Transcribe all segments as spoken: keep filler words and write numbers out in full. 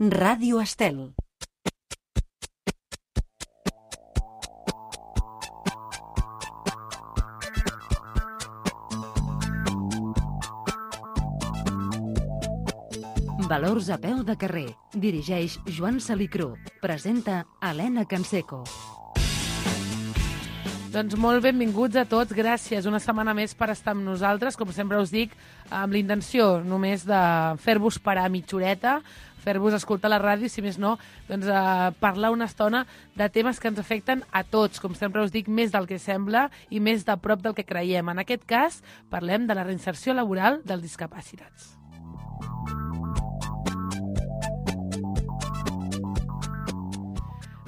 Ràdio Estel. Valors a peu de carrer. Dirigeix Joan Salicrú. Presenta Helena Canseco. Doncs molt benvinguts a tots, gràcies una setmana més per estar amb nosaltres, com sempre us dic, amb la intenció només de fer-vos parar mitja horeta, fer-vos escoltar la ràdio, si més no, doncs eh, parlar una estona de temes que ens afecten a tots, com sempre us dic, més del que sembla i més de prop del que creiem. En aquest cas, parlem de la reinserció laboral dels discapacitats.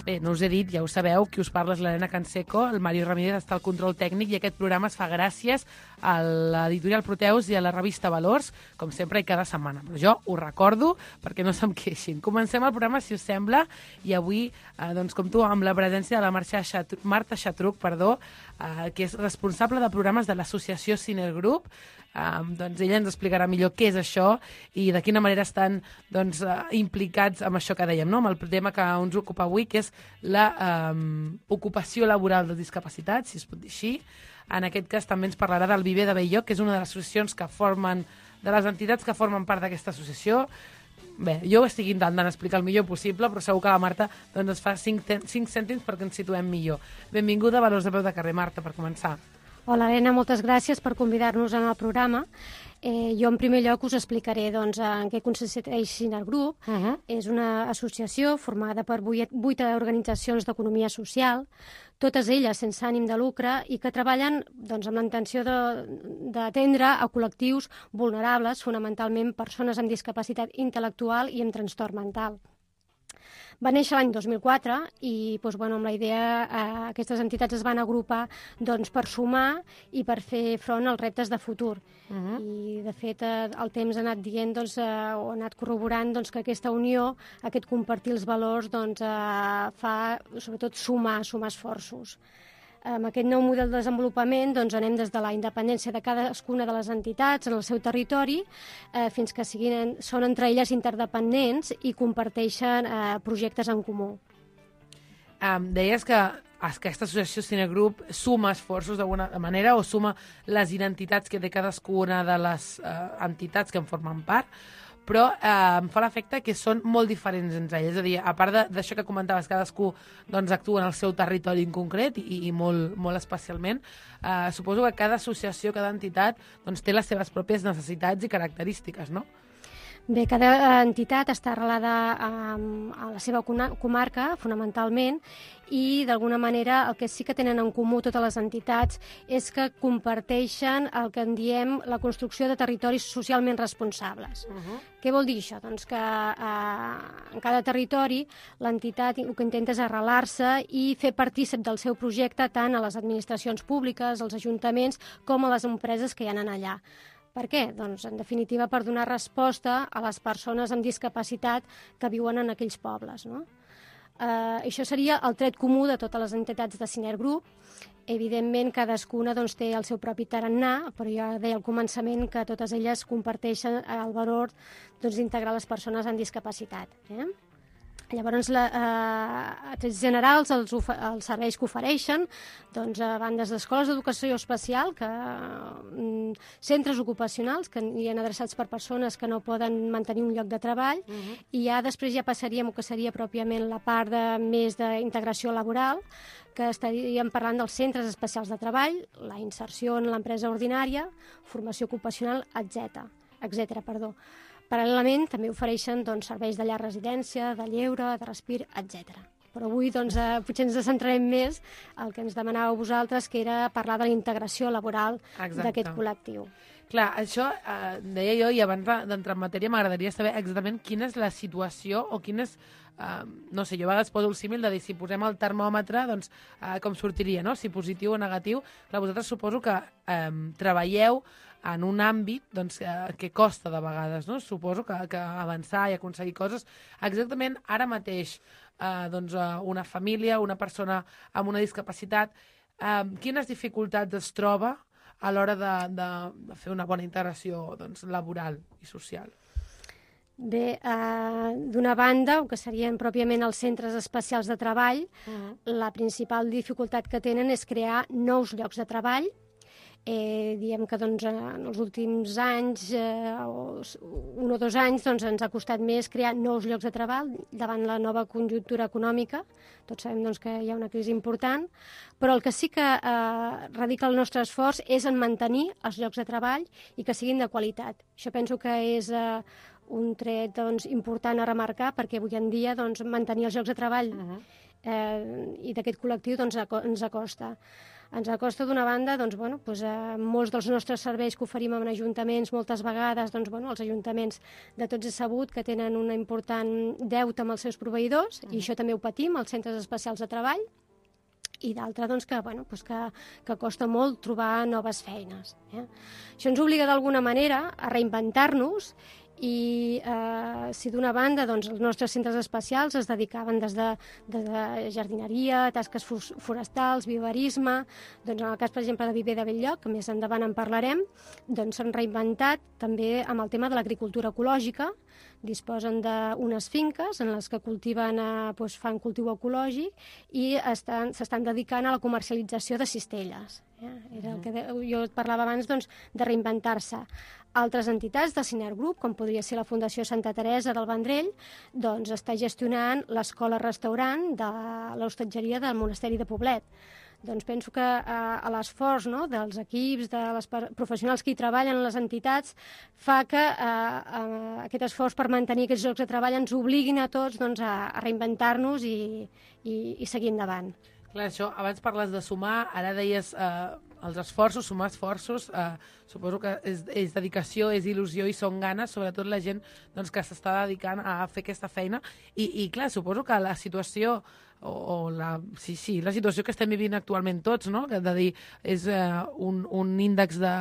Bé, no us he dit, ja ho sabeu, qui us parla és l'Helena Canseco, el Mario Ramírez està al control tècnic i aquest programa es fa gràcies a l'editorial Proteus i a la revista Valors, com sempre i cada setmana. Però jo ho recordo perquè no se'm queixin. Comencem el programa, si us sembla, i avui, eh, doncs, com tu, amb la presència de la Marta Xatruc, Marta Xatruc, perdó, eh, que és responsable de programes de l'associació Ciner Group. Um, doncs ella ens explicarà millor què és això i de quina manera estan doncs, uh, implicats amb això que dèiem, no? Amb el tema que ens ocupa avui, que és la um, ocupació laboral dels discapacitats, si es pot dir així. En aquest cas també ens parlarà del Viver de Bell-lloc, que és una de les associacions que formen, de les entitats que formen part d'aquesta associació. Bé, jo ho estic intentant explicar el millor possible, però segur que la Marta doncs, ens fa cinc, cinc cèntims perquè ens situem millor. Benvinguda a Valors de Peu de Carrer, Marta, per començar. Hola, Helena, moltes gràcies per convidar-nos en el programa. Eh, jo, en primer lloc, us explicaré doncs, en què consisteix Ciner Group. Uh -huh. És una associació formada per vuit, vuit organitzacions d'economia social, totes elles sense ànim de lucre i que treballen doncs, amb la intenció d'atendre a col·lectius vulnerables, fonamentalment persones amb discapacitat intel·lectual i amb trastorn mental. Va néixer l'any dos mil quatre i doncs, bueno, amb la idea eh, aquestes entitats es van agrupar doncs, per sumar i per fer front als reptes de futur. Uh -huh. I, de fet, eh, el temps ha anat dient doncs, eh, o ha anat corroborant doncs, que aquesta unió, aquest compartir els valors, doncs, eh, fa, sobretot, sumar, sumar esforços. Amb aquest nou model de desenvolupament doncs, anem des de la independència de cadascuna de les entitats en el seu territori eh, fins que siguin, són entre elles interdependents i comparteixen eh, projectes en comú. Um, deies que aquesta associació Ciner Group suma esforços d'alguna manera o suma les identitats que té cadascuna de les uh, entitats que en formen part, però eh, em fa l'efecte que són molt diferents entre elles. És a dir, a part d'això que comentaves, cadascú doncs, actua en el seu territori en concret i, i molt, molt especialment, eh, suposo que cada associació, cada entitat, doncs, té les seves pròpies necessitats i característiques, no? Bé, cada entitat està arrelada a, a la seva comarca, fonamentalment, i d'alguna manera el que sí que tenen en comú totes les entitats és que comparteixen el que en diem la construcció de territoris socialment responsables. Uh-huh. Què vol dir això? Doncs que eh, en cada territori l'entitat el que intenta és arrelar-se i fer partícip del seu projecte tant a les administracions públiques, als ajuntaments, com a les empreses que hi ha allà. Per què? Doncs, en definitiva, per donar resposta a les persones amb discapacitat que viuen en aquells pobles, no? Uh, això seria el tret comú de totes les entitats de Ciner Group. Evidentment, cadascuna doncs, té el seu propi tarannà, però jo deia al començament que totes elles comparteixen el valor doncs, d'integrar les persones amb discapacitat. Eh? Llavors, la, eh, a trets generals, els, els serveis que ofereixen, doncs, a bandes d'escoles d'educació especial, que, mm, centres ocupacionals, que hi ha adreçats per persones que no poden mantenir un lloc de treball, uh -huh. i ja després ja passaríem el que seria pròpiament la part de, més d'integració laboral, que estaríem parlant dels centres especials de treball, la inserció en l'empresa ordinària, formació ocupacional, etcètera, etcètera, perdó. Paral·lelament, també ofereixen doncs, serveis de llar residència, de lleure, de respir, etcètera. Però avui doncs, eh, potser ens centrarem més al que ens demanàveu vosaltres, que era parlar de la integració laboral d'aquest col·lectiu. Clar, això eh, deia jo, i abans d'entrar en matèria m'agradaria saber exactament quina és la situació o quina és, eh, no sé, jo a vegades poso el símil de dir si posem el termòmetre, doncs eh, com sortiria, no? Si positiu o negatiu. Clar, vosaltres suposo que eh, treballeu en un àmbit doncs, que, que costa de vegades, no? Suposo que, que avançar i aconseguir coses. Exactament ara mateix, eh, doncs, una família, una persona amb una discapacitat, eh, quines dificultats es troba a l'hora de, de, de fer una bona integració doncs, laboral i social? Bé, eh, d'una banda, el que serien pròpiament els centres especials de treball, uh-huh. la principal dificultat que tenen és crear nous llocs de treball. Eh, diem que doncs, en els últims anys, eh, o un o dos anys, doncs, ens ha costat més crear nous llocs de treball davant la nova conjuntura econòmica. Tots sabem doncs, que hi ha una crisi important, però el que sí que eh, radica el nostre esforç és en mantenir els llocs de treball i que siguin de qualitat. Això penso que és eh, un tret doncs, important a remarcar, perquè avui en dia doncs, mantenir els llocs de treball uh-huh. eh, i d'aquest col·lectiu doncs, ens acosta. Ens acosta d'una banda, doncs, bueno, doncs, eh, molts dels nostres serveis que oferim en ajuntaments, moltes vegades, doncs, bueno, els ajuntaments de tots és sabut que tenen un important deute amb els seus proveïdors, uh-huh. i això també ho patim, els centres especials de treball, i d'altra, doncs, que, bueno, doncs que, que costa molt trobar noves feines. Eh? Això ens obliga d'alguna manera a reinventar-nos i eh, si d'una banda doncs, els nostres centres especials es dedicaven des de, des de jardineria, tasques forestals, viverisme, doncs en el cas, per exemple, de Viver de Belllloc, que més endavant en parlarem, doncs s'han reinventat també amb el tema de l'agricultura ecològica, disposen d'unes finques en les que cultiven, eh, doncs fan cultiu ecològic i estan, s'estan dedicant a la comercialització de cistelles. Eh? Era el que de, jo et parlava abans doncs, de reinventar-se. Altres entitats de Ciner Group, com podria ser la Fundació Santa Teresa del Vendrell, doncs està gestionant l'escola-restaurant de l'hostatgeria del Monasteri de Poblet. Doncs penso que eh, a l'esforç, no?, dels equips, de les professionals que hi treballen a les entitats, fa que eh, eh, aquest esforç per mantenir aquests llocs de treball ens obliguin a tots doncs, a, a reinventar-nos i, i, i seguir endavant. Clar, això, abans parles de sumar, ara deies eh, els esforços, sumar esforços, eh, suposo que és, és dedicació, és il·lusió i són ganes, sobretot la gent doncs, que s'està dedicant a fer aquesta feina. I, i clar, suposo que la situació, o, o la, sí, sí, la situació que estem vivint actualment tots, no?, que de dir, és eh, un, un índex de,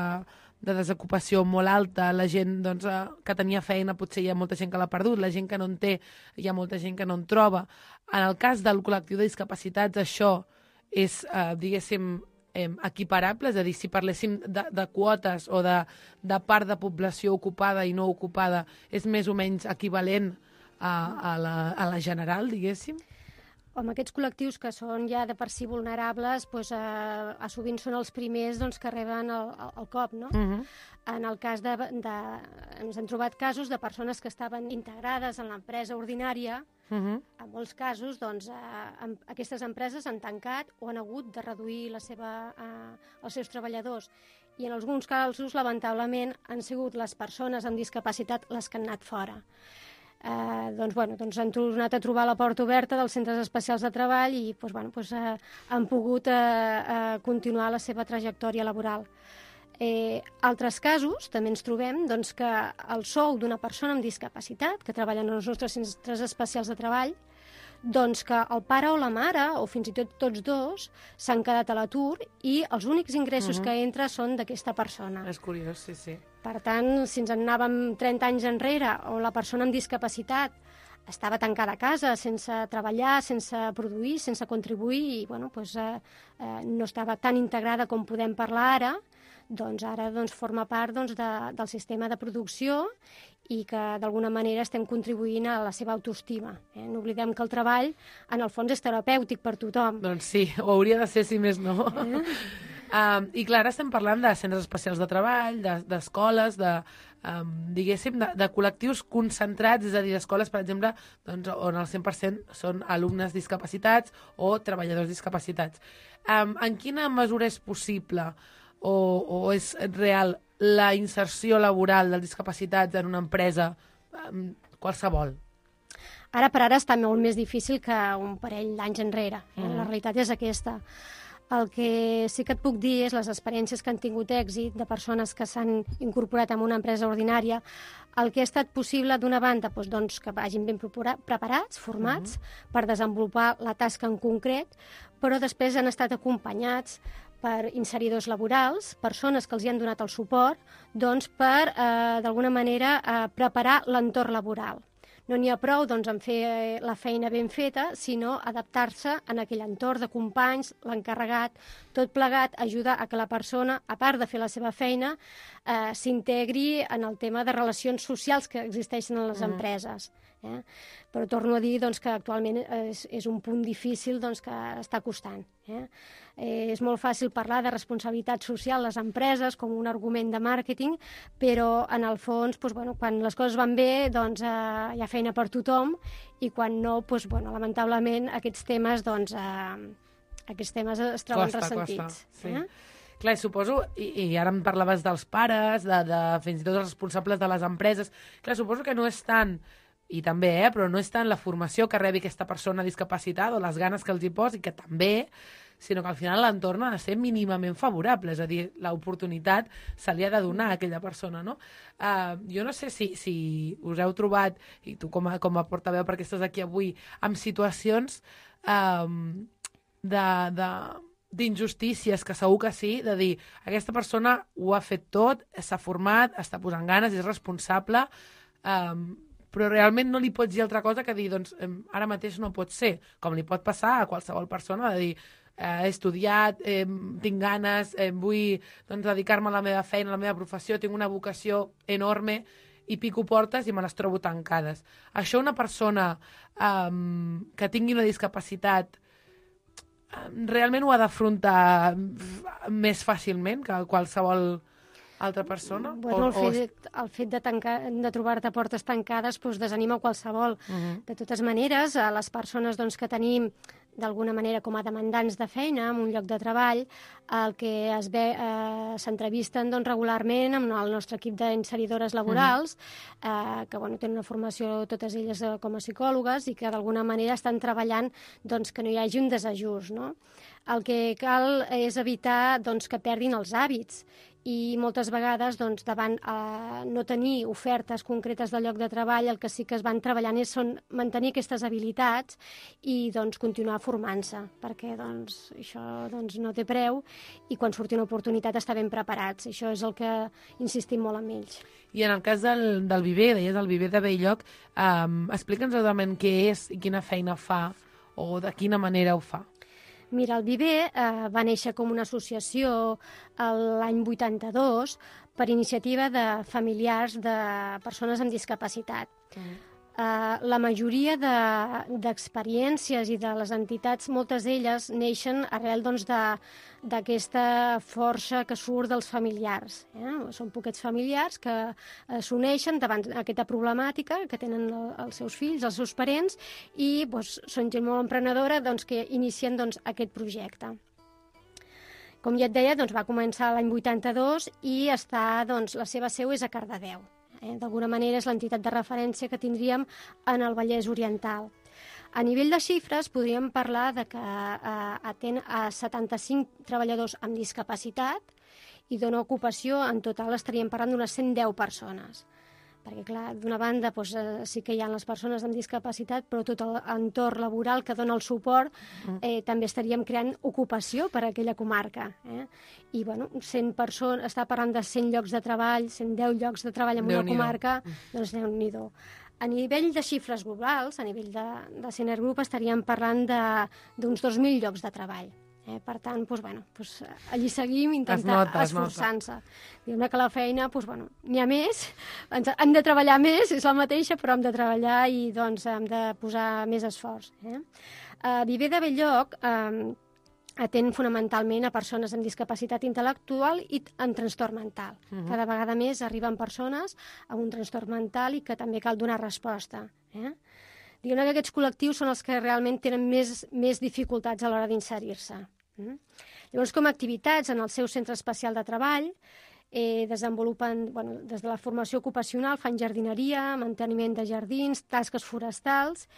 de desocupació molt alta, la gent doncs, eh, que tenia feina, potser hi ha molta gent que l'ha perdut, la gent que no en té, hi ha molta gent que no en troba. En el cas del col·lectiu de discapacitats, això és, eh, diguéssim, eh, equiparable, és a dir, si parléssim de, de quotes o de, de part de població ocupada i no ocupada, és més o menys equivalent a, a, la, a la general, diguéssim? Amb aquests col·lectius que són ja de per si vulnerables, doncs, eh, a sovint són els primers doncs, que reben el, el cop, no? Uh-huh. En el cas de, de... Ens hem trobat casos de persones que estaven integrades en l'empresa ordinària. Uh-huh. En molts casos, doncs, eh, aquestes empreses han tancat o han hagut de reduir la seva, eh, els seus treballadors. I en alguns casos, lamentablement, han sigut les persones amb discapacitat les que han anat fora. Eh, doncs, bueno, doncs han tornat a trobar la porta oberta dels centres especials de treball i doncs, bueno, doncs, eh, han pogut eh, eh, continuar la seva trajectòria laboral. Eh, altres casos també ens trobem doncs, que el sou d'una persona amb discapacitat que treballa en els nostres centres especials de treball, doncs que el pare o la mare, o fins i tot tots dos, s'han quedat a l'atur i els únics ingressos uh-huh. que entra són d'aquesta persona. És curiós, sí, sí. Per tant, si ens en anàvem trenta anys enrere, on la persona amb discapacitat estava tancada a casa, sense treballar, sense produir, sense contribuir, i bueno, doncs, eh, eh, no estava tan integrada com podem parlar ara, doncs ara doncs, forma part doncs, de, del sistema de producció i que d'alguna manera estem contribuint a la seva autoestima. Eh? No oblidem que el treball, en el fons, és terapèutic per tothom. Doncs sí, ho hauria de ser, si més no. Eh? Um, I clar, ara estem parlant de centres especials de treball, d'escoles, de, um, diguéssim, de, de col·lectius concentrats, és a dir, escoles, per exemple, doncs, on el cent per cent són alumnes discapacitats o treballadors discapacitats. Um, en quina mesura és possible o, o és real la inserció laboral dels discapacitats en una empresa, um, qualsevol? Ara per ara està molt més difícil que un parell d'anys enrere. Eh? Mm. La realitat és aquesta. El que sí que et puc dir és les experiències que han tingut èxit de persones que s'han incorporat en una empresa ordinària, el que ha estat possible d'una banda doncs, doncs, que vagin ben preparats, formats, uh-huh. per desenvolupar la tasca en concret, però després han estat acompanyats per inseridors laborals, persones que els hi han donat el suport, doncs per, eh, d'alguna manera, eh, preparar l'entorn laboral. no n'hi ha prou doncs, en fer la feina ben feta, sinó adaptar-se en aquell entorn de companys, l'encarregat, tot plegat ajuda a que la persona, a part de fer la seva feina, eh, s'integri en el tema de relacions socials que existeixen en les mm. empreses. Eh? Però torno a dir doncs, que actualment és, és un punt difícil doncs, que està costant. Eh? Eh, és molt fàcil parlar de responsabilitat social a les empreses com un argument de màrqueting, però en el fons, doncs, bueno, quan les coses van bé, doncs, eh, hi ha feina per tothom, i quan no, doncs, bueno, lamentablement, aquests temes, doncs, eh, aquests temes es troben costa, ressentits. Costa, sí. Eh? Clar, suposo, i, i ara em parlaves dels pares, de, de fins i tot els responsables de les empreses, clar, suposo que no és tant, i també, eh, però no és tant la formació que rebi aquesta persona discapacitada o les ganes que els hi posi, que també, sinó que al final l'entorn ha de ser mínimament favorable, és a dir, l'oportunitat se li ha de donar a aquella persona, no? Uh, jo no sé si, si us heu trobat, i tu com a, com a portaveu perquè estàs aquí avui, amb situacions um, de... de d'injustícies, que segur que sí, de dir, aquesta persona ho ha fet tot, s'ha format, està posant ganes, és responsable, um, però realment no li pots dir altra cosa que dir, doncs, ara mateix no pot ser, com li pot passar a qualsevol persona, de dir, eh, he estudiat, eh, tinc ganes, eh, vull doncs, dedicar-me a la meva feina, a la meva professió, tinc una vocació enorme, i pico portes i me les trobo tancades. Això una persona um, que tingui una discapacitat realment ho ha d'afrontar més fàcilment que qualsevol altra persona? Bueno, o, el fet, el fet de, tancar, de trobar-te portes tancades doncs, desanima qualsevol. Uh -huh. De totes maneres, a les persones doncs, que tenim d'alguna manera com a demandants de feina en un lloc de treball, el que es ve eh, s'entrevisten doncs, regularment amb el nostre equip d'inseridores laborals, uh -huh. eh, que bueno, tenen una formació totes elles eh, com a psicòlogues i que d'alguna manera estan treballant doncs, que no hi hagi un desajust. No? El que cal és evitar doncs, que perdin els hàbits, i moltes vegades, doncs, davant eh, no tenir ofertes concretes del lloc de treball, el que sí que es van treballant és són mantenir aquestes habilitats i doncs, continuar formant-se, perquè doncs, això doncs, no té preu i quan surti una oportunitat estar ben preparats. Això és el que insistim molt amb ells. I en el cas del, del Viver, deies el Viver de Bell-lloc, eh, explica'ns exactament què és i quina feina fa o de quina manera ho fa. Mira, el Viver eh, va néixer com una associació l'any vuitanta-dos per iniciativa de familiars de persones amb discapacitat. Mm. Eh, la majoria d'experiències de, i de les entitats, moltes d'elles neixen arrel doncs, d'aquesta força que surt dels familiars. Eh? Són poquets familiars que eh, s'uneixen davant aquesta problemàtica que tenen el, els seus fills, els seus parents, i doncs, són gent molt emprenedora doncs, que inicien doncs, aquest projecte. Com ja et deia, doncs, va començar l'any vuitanta-dos i està, doncs, la seva seu és a Cardedeu. Eh? D'alguna manera és l'entitat de referència que tindríem en el Vallès Oriental. A nivell de xifres podríem parlar de que eh, atén a setanta-cinc treballadors amb discapacitat i dona ocupació, en total estaríem parlant d'unes cent deu persones. Perquè, clar, d'una banda doncs, eh, sí que hi ha les persones amb discapacitat, però tot l'entorn laboral que dona el suport eh, també estaríem creant ocupació per a aquella comarca. Eh? I, bueno, cent persones, està parlant de cent llocs de treball, cent deu llocs de treball en una comarca, doncs Déu-n'hi-do. A nivell de xifres globals, a nivell de, de Sener Group, estaríem parlant d'uns dos mil llocs de treball. Eh, per tant, doncs, bueno, doncs, allí seguim intentant esforçant-se. Diguem que la feina, doncs, bueno, n'hi ha més, ens, hem de treballar més, és la mateixa, però hem de treballar i doncs, hem de posar més esforç. Eh? Uh, Viver de Bell-lloc eh, atén fonamentalment a persones amb discapacitat intel·lectual i amb trastorn mental. Uh -huh. Cada vegada més arriben persones amb un trastorn mental i que també cal donar resposta. Eh? Diguem que aquests col·lectius són els que realment tenen més, més dificultats a l'hora d'inserir-se. Mm? Llavors, com a activitats en el seu centre especial de treball, eh, desenvolupen, bueno, des de la formació ocupacional, fan jardineria, manteniment de jardins, tasques forestals,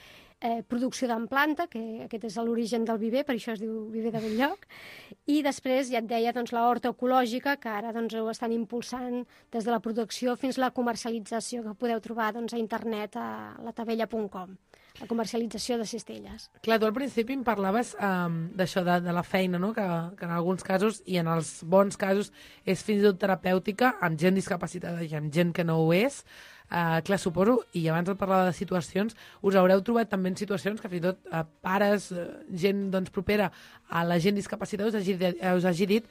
eh, producció d'en planta, que aquest és l'origen del Viver, per això es diu Viver de Bell-lloc, i després, ja et deia, doncs, la horta ecològica, que ara doncs, ho estan impulsant des de la producció fins a la comercialització, que podeu trobar doncs, a internet a la tavella punt com. La comercialització de cistelles. Clar, tu al principi em parlaves um, d'això, de, de la feina, no? que, que en alguns casos, i en els bons casos, és fins i tot terapèutica, amb gent discapacitada i amb gent que no ho és. Uh, clar, suposo, i abans de parlar de situacions, us haureu trobat també en situacions que fins i tot uh, pares, uh, gent doncs, propera a la gent discapacitada us hagi, us hagi dit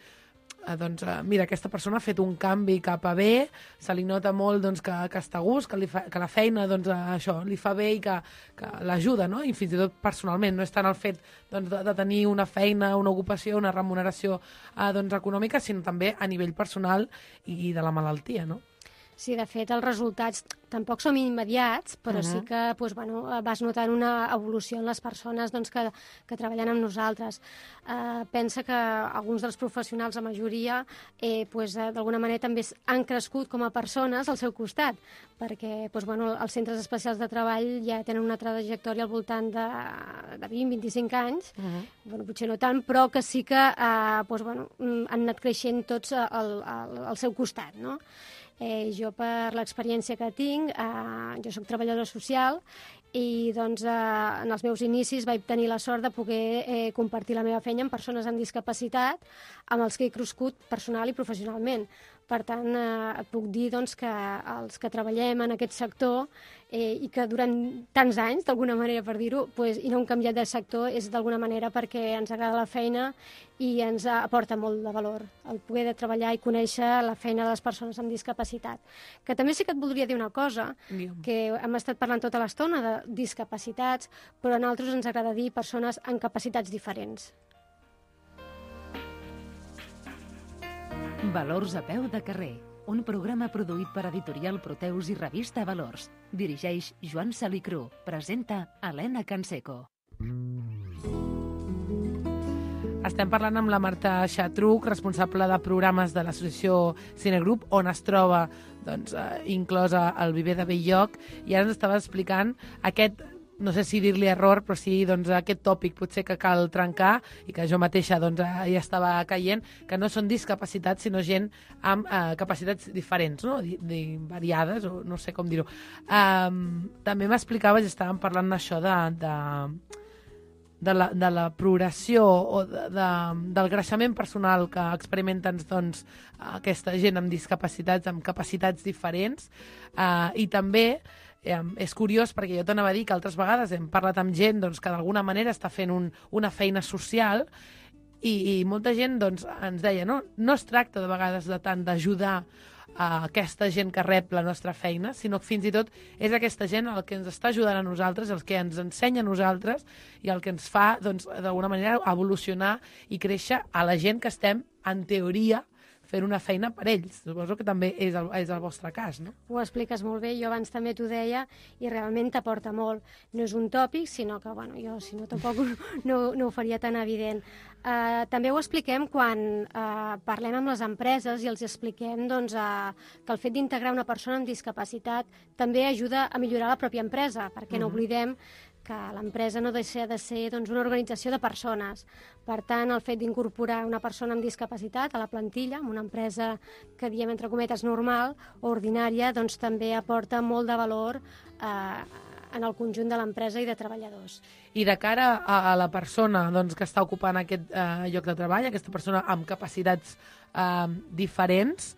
uh, doncs, uh, mira, aquesta persona ha fet un canvi cap a bé, se li nota molt doncs, que, que està a gust, que, li fa, que la feina doncs, uh, això li fa bé i que, que l'ajuda, no? I fins i tot personalment, no és tant el fet doncs, de, de tenir una feina, una ocupació, una remuneració uh, doncs, econòmica, sinó també a nivell personal i de la malaltia, no? Sí, de fet, els resultats tampoc són immediats, però uh-huh. sí que doncs, bueno, vas notant una evolució en les persones doncs, que, que treballen amb nosaltres. Uh, pensa que alguns dels professionals, la majoria, eh, doncs, d'alguna manera també han crescut com a persones al seu costat, perquè doncs, bueno, els centres especials de treball ja tenen una trajectòria al voltant de, de vint a vint-i-cinc anys, uh-huh. bueno, potser no tant, però que sí que uh, doncs, bueno, han anat creixent tots al, al, al seu costat, no? Eh, jo, per l'experiència que tinc, eh, jo soc treballadora social i doncs, eh, en els meus inicis vaig tenir la sort de poder eh, compartir la meva feina amb persones amb discapacitat amb els que he crescut personal i professionalment. Per tant, eh, et puc dir doncs, que els que treballem en aquest sector eh, i que durant tants anys, d'alguna manera per dir-ho, pues, i no hem canviat de sector, és d'alguna manera perquè ens agrada la feina i ens aporta molt de valor el poder de treballar i conèixer la feina de les persones amb discapacitat. Que també sí que et voldria dir una cosa, Digue'm. que hem estat parlant tota l'estona de discapacitats, però a nosaltres ens agrada dir persones amb capacitats diferents. Valors a peu de carrer, un programa produït per Editorial Proteus i Revista Valors. Dirigeix Joan Salicru. Presenta Helena Canseco. Estem parlant amb la Marta Xatruc, responsable de programes de l'associació Cinegrup, on es troba doncs, eh, inclosa el Viver de Belllloc, i ara ens estava explicant aquest, no sé si dir-li error, però sí doncs, aquest tòpic potser que cal trencar i que jo mateixa doncs, ja estava caient, que no són discapacitats, sinó gent amb eh, capacitats diferents, no? Di, di, variades, o no sé com dir-ho. Um, també m'explicaves, estàvem parlant d'això de... de De la, de la progressió o de, de, del creixement personal que experimenten doncs, aquesta gent amb discapacitats, amb capacitats diferents, eh, i també eh, és curiós perquè jo t'anava a dir que altres vegades hem parlat amb gent doncs, que d'alguna manera està fent un, una feina social i, i molta gent doncs, ens deia no, no es tracta de vegades de tant d'ajudar a aquesta gent que rep la nostra feina, sinó que fins i tot és aquesta gent el que ens està ajudant a nosaltres, el que ens ensenya a nosaltres i el que ens fa, doncs, d'alguna manera, evolucionar i créixer a la gent que estem, en teoria, fent una feina per ells. Suposo que també és el, és el vostre cas, no? Ho expliques molt bé, jo abans també t'ho deia i realment t'aporta molt. No és un tòpic, sinó que, bueno, jo si no tampoc no, no ho faria tan evident. Uh, també ho expliquem quan uh, parlem amb les empreses i els expliquem doncs, uh, que el fet d'integrar una persona amb discapacitat també ajuda a millorar la pròpia empresa, perquè no oblidem que l'empresa no deixa de ser doncs, una organització de persones. Per tant, el fet d'incorporar una persona amb discapacitat a la plantilla, en una empresa que diem entre cometes normal o ordinària, doncs també aporta molt de valor eh, en el conjunt de l'empresa i de treballadors. I de cara a, a la persona doncs, que està ocupant aquest eh, lloc de treball, aquesta persona amb capacitats eh, diferents,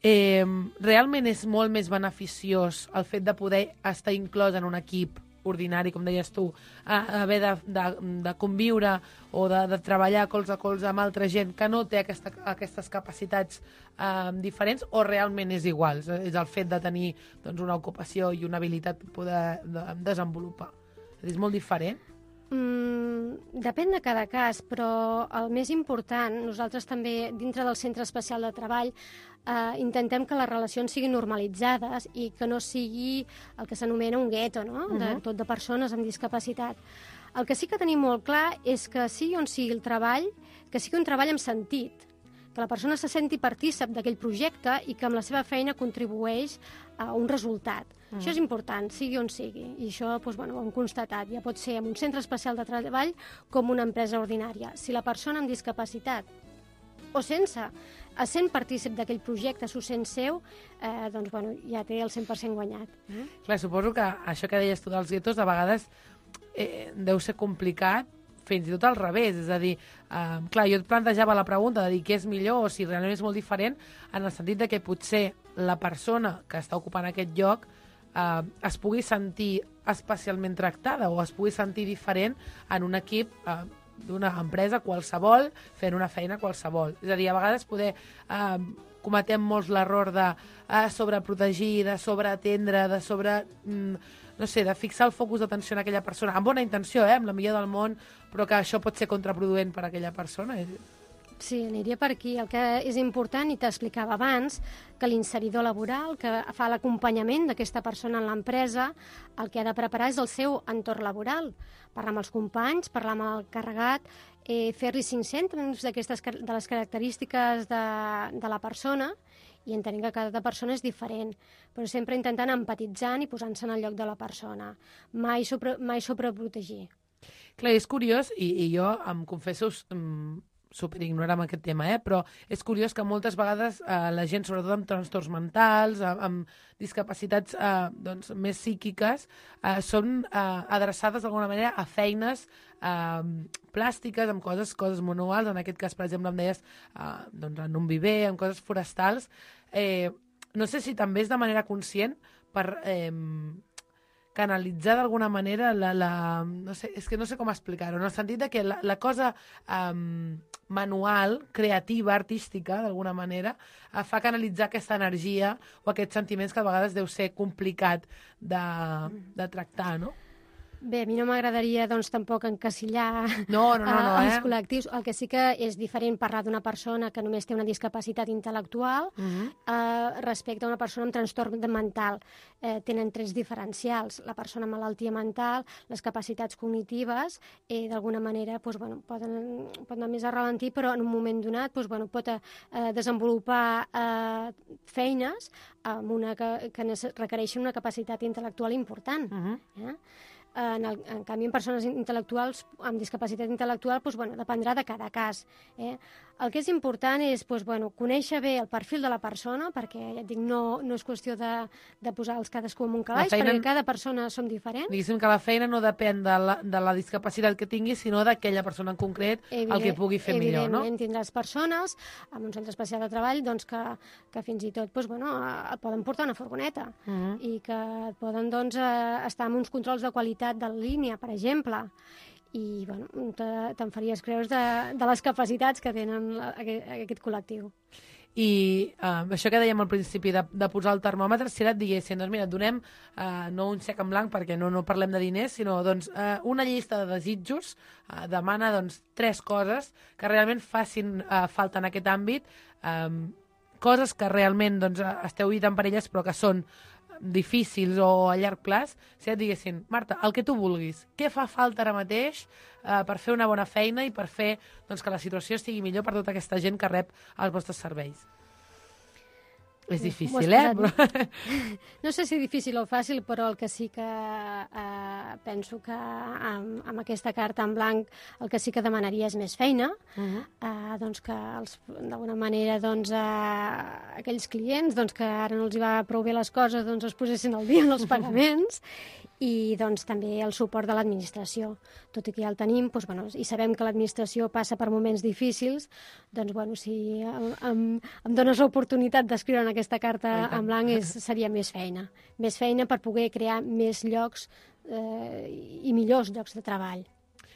eh, realment és molt més beneficiós el fet de poder estar inclòs en un equip ordinari, com deies tu, a, a haver de, de, de conviure o de, de treballar colze a colze amb altra gent que no té aquesta, aquestes capacitats eh, diferents, o realment és igual? És el fet de tenir doncs, una ocupació i una habilitat per poder de, desenvolupar. És molt diferent? Mm, depèn de cada cas, però el més important, nosaltres també, dintre del Centre Especial de Treball, eh, intentem que les relacions siguin normalitzades i que no sigui el que s'anomena un gueto, no? De, uh-huh. tot de persones amb discapacitat. El que sí que tenim molt clar és que sigui on sigui el treball, que sigui un treball amb sentit, que la persona se senti partícip d'aquell projecte i que amb la seva feina contribueix a un resultat. Mm. Això és important, sigui on sigui, i això doncs, bueno, ho hem constatat. Ja pot ser en un centre especial de treball com una empresa ordinària. Si la persona amb discapacitat o sense es sent partícip d'aquell projecte, s'ho sent seu, eh, doncs bueno, ja té el cent per cent guanyat. Mm? Clar, suposo que això que deies tu dels guetos de vegades eh, deu ser complicat, fins i tot al revés, és a dir, eh, clar, jo et plantejava la pregunta de dir què és millor o si realment és molt diferent, en el sentit de que potser la persona que està ocupant aquest lloc eh, es pugui sentir especialment tractada o es pugui sentir diferent en un equip eh, d'una empresa qualsevol fent una feina qualsevol. És a dir, a vegades poder eh, cometem molts l'error de eh, sobreprotegir, de sobreatendre, de sobre... Mm, no sé, de fixar el focus d'atenció en aquella persona, amb bona intenció, eh, amb la millor del món, però que això pot ser contraproduent per a aquella persona. Sí, aniria per aquí. El que és important, i t'explicava abans, que l'inseridor laboral, que fa l'acompanyament d'aquesta persona en l'empresa, el que ha de preparar és el seu entorn laboral. Parlar amb els companys, parlar amb el carregat, eh, fer-li cinc cèntims d'aquestes de les característiques de, de la persona, i entenent que cada persona és diferent, però sempre intentant empatitzant i posant-se en el lloc de la persona. Mai, sobre, mai sobreprotegir. Clar, és curiós, i, i jo em confesso um, superignorant amb aquest tema, eh? Però és curiós que moltes vegades eh, la gent, sobretot amb trastorns mentals, amb, amb discapacitats eh, doncs, més psíquiques, eh, són eh, adreçades d'alguna manera a feines eh, plàstiques, amb coses, coses manuals. En aquest cas, per exemple, em deies eh, doncs, en un viver, amb coses forestals. Eh, no sé si també és de manera conscient per... Eh, canalitzar d'alguna manera la, la... No sé, és que no sé com explicar-ho, en el sentit de que la, la cosa um, manual, creativa, artística, d'alguna manera, uh, fa canalitzar aquesta energia o aquests sentiments que a vegades deu ser complicat de, de tractar, no? Bé, a mi no m'agradaria doncs, tampoc encasillar no, no, no, no, els eh? col·lectius. El que sí que és diferent parlar d'una persona que només té una discapacitat intel·lectual uh-huh. eh, respecte a una persona amb trastorn mental. Eh, tenen trets diferencials. La persona amb malaltia mental, les capacitats cognitives, eh, d'alguna manera doncs, bueno, poden, poden anar més a ralentir, però en un moment donat doncs, bueno, pot eh, desenvolupar eh, feines amb una que, que requereixen una capacitat intel·lectual important. Uh-huh. eh? En, el, en canvi, en persones intel·lectuals amb discapacitat intel·lectual doncs, bueno, dependrà de cada cas. Eh? El que és important és doncs, bueno, conèixer bé el perfil de la persona, perquè ja et dic, no, no és qüestió de, de posar-los cadascú en un calaix, feina, perquè cada persona som diferents. Diguéssim que la feina no depèn de la, de la discapacitat que tingui, sinó d'aquella persona en concret, Evident, el que pugui fer millor, no? Evidentment, tindràs persones amb un centre especial de treball doncs, que, que fins i tot doncs, bueno, et poden portar una furgoneta uh -huh. i que et poden doncs, estar amb uns controls de qualitat de línia, per exemple, i bueno, te'n faries creus de, de les capacitats que tenen aquest, aquest col·lectiu. I uh, això que dèiem al principi de, de posar el termòmetre, si ara et diguessin, doncs mira, et donem uh, no un xec en blanc perquè no, no parlem de diners, sinó doncs, uh, una llista de desitjos, uh, demana doncs, tres coses que realment facin uh, falta en aquest àmbit, um, coses que realment doncs, esteu lluitant per elles però que són difícils o a llarg plaç, si et diguessin, Marta, el que tu vulguis, què fa falta ara mateix eh, per fer una bona feina i per fer doncs, que la situació estigui millor per tota aquesta gent que rep els vostres serveis? És difícil, eh? Però... No sé si difícil o fàcil, però el que sí que eh, penso que amb, amb aquesta carta en blanc el que sí que demanaria és més feina, uh-huh. eh, doncs que d'alguna manera doncs, eh, aquells clients doncs, que ara no els hi va prou bé les coses doncs es posessin al dia en els pagaments i doncs, també el suport de l'administració. Tot i que ja el tenim, doncs, bueno, i sabem que l'administració passa per moments difícils, doncs bueno, si em, em, em dones l'oportunitat d'escriure en aquesta carta en blanc és, seria més feina. Més feina per poder crear més llocs eh, i millors llocs de treball.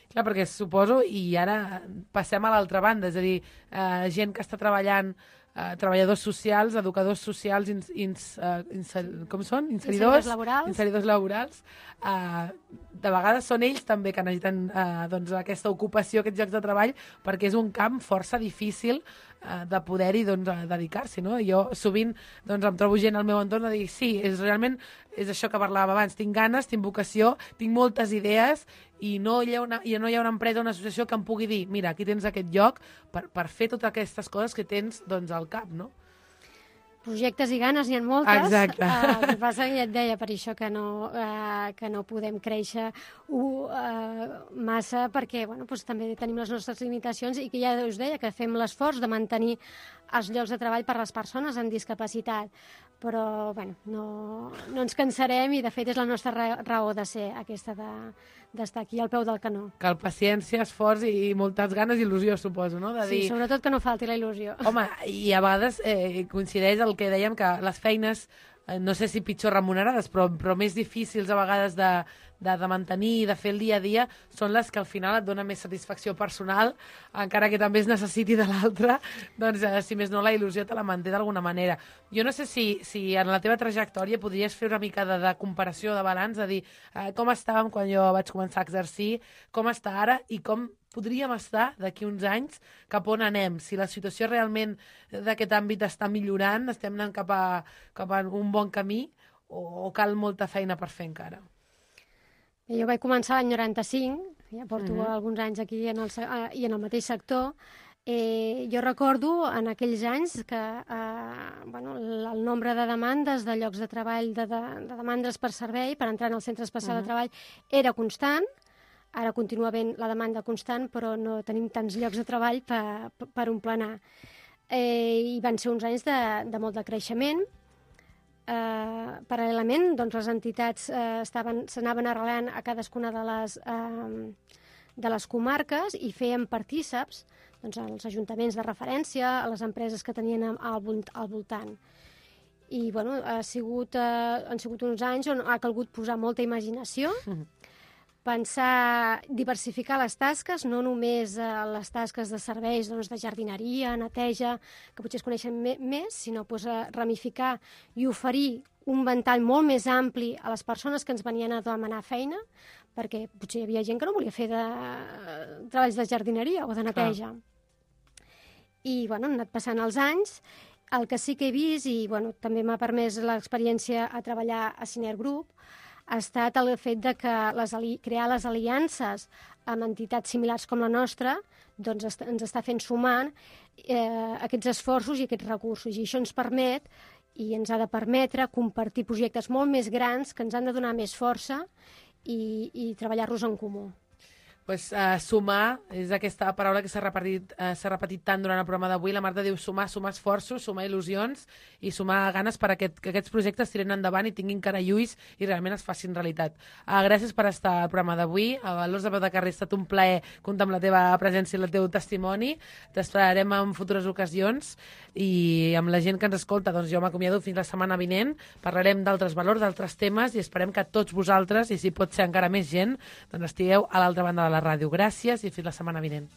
Clar, perquè suposo, i ara passem a l'altra banda, és a dir, eh, gent que està treballant, eh, treballadors socials, educadors socials, ins, ins, uh, inser, com són? Inseridors, inseridors laborals. Inseridors laborals. Eh, de vegades són ells també que necessiten eh, doncs, aquesta ocupació, aquests llocs de treball, perquè és un camp força difícil eh, de poder-hi doncs, dedicar-s'hi, no? Jo sovint doncs, em trobo gent al meu entorn a dir, sí, és realment és això que parlàvem abans, tinc ganes, tinc vocació, tinc moltes idees i no hi ha una, i no hi ha una empresa o una associació que em pugui dir, mira, aquí tens aquest lloc per, per fer totes aquestes coses que tens doncs, al cap, no? Projectes i ganes n'hi ha moltes. Exacte. Uh, el que passa que ja et deia per això que no, uh, que no podem créixer uh, massa perquè bueno, doncs també tenim les nostres limitacions i que ja us deia que fem l'esforç de mantenir els llocs de treball per a les persones amb discapacitat. Però, bueno, no, no ens cansarem i, de fet, és la nostra raó de ser, aquesta de d'estar aquí al peu del canó. Cal paciència, esforç i moltes ganes i il·lusió, suposo, no? De Sí, dir... sobretot que no falti la il·lusió. Home, i a vegades eh, coincideix el que dèiem, que les feines, eh, no sé si pitjor remunerades, però, però més difícils a vegades de, de, de mantenir i de fer el dia a dia, són les que al final et donen més satisfacció personal, encara que també es necessiti de l'altra, doncs, eh, si més no, la il·lusió te la manté d'alguna manera. Jo no sé si, si en la teva trajectòria podries fer una mica de, de comparació, de balanç, de dir eh, com estàvem quan jo vaig començar a exercir, com està ara i com podríem estar d'aquí uns anys, cap on anem, si la situació realment d'aquest àmbit està millorant, estem anant cap a, cap a un bon camí o, o cal molta feina per fer encara? Jo vaig començar l'any noranta-cinc, ja porto Mhm. alguns anys aquí en el, se- eh, i en el mateix sector. Eh, jo recordo en aquells anys que eh, bueno, el, el nombre de demandes de llocs de treball, de, de, de demandes per servei, per entrar en el centre especial Mhm. de treball, era constant. Ara continua havent la demanda constant, però no tenim tants llocs de treball per, per omplenar. Eh, I van ser uns anys de, de molt de creixement. Eh, paral·lelament, doncs, les entitats eh, estaven, s'anaven arrelant a cadascuna de les, eh, de les comarques i feien partíceps doncs, als ajuntaments de referència, a les empreses que tenien al, vol- al voltant. I bueno, ha sigut, eh, han sigut uns anys on ha calgut posar molta imaginació, Mhm. pensar, diversificar les tasques, no només eh, les tasques de serveis doncs, de jardineria, neteja, que potser es coneixen me més, sinó doncs, eh, ramificar i oferir un ventall molt més ampli a les persones que ens venien a demanar feina, perquè potser hi havia gent que no volia fer de, treballs de jardineria o de neteja. Clar. I bueno, han anat passant els anys. El que sí que he vist, i bueno, també m'ha permès l'experiència a treballar a Ciner Group, ha estat el fet de que les ali crear les aliances amb entitats similars com la nostra doncs est ens està fent sumar eh, aquests esforços i aquests recursos. I això ens permet i ens ha de permetre compartir projectes molt més grans que ens han de donar més força i, i treballar-los en comú. Pues, uh, sumar és aquesta paraula que s'ha repetit, uh, s'ha repetit tant durant el programa d'avui. La Marta diu sumar, sumar esforços, sumar il·lusions i sumar ganes per a aquest, que aquests projectes tiren endavant i tinguin cara i ulls i realment es facin realitat. Uh, gràcies per estar al programa d'avui. A Valors de Peu de Carrer ha estat un plaer comptar amb la teva presència i el teu testimoni. T'esperarem en futures ocasions i amb la gent que ens escolta, doncs jo m'acomiado fins la setmana vinent. Parlarem d'altres valors, d'altres temes i esperem que tots vosaltres, i si pot ser encara més gent, doncs estigueu a l'altra banda de la la ràdio. Gràcies i fins la setmana vinent.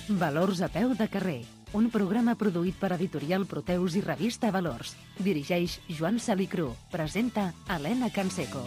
Valors a peu de carrer. Un programa produït per Editorial Proteus i revista Valors. Dirigeix Joan Salicru. Presenta Helena Canseco.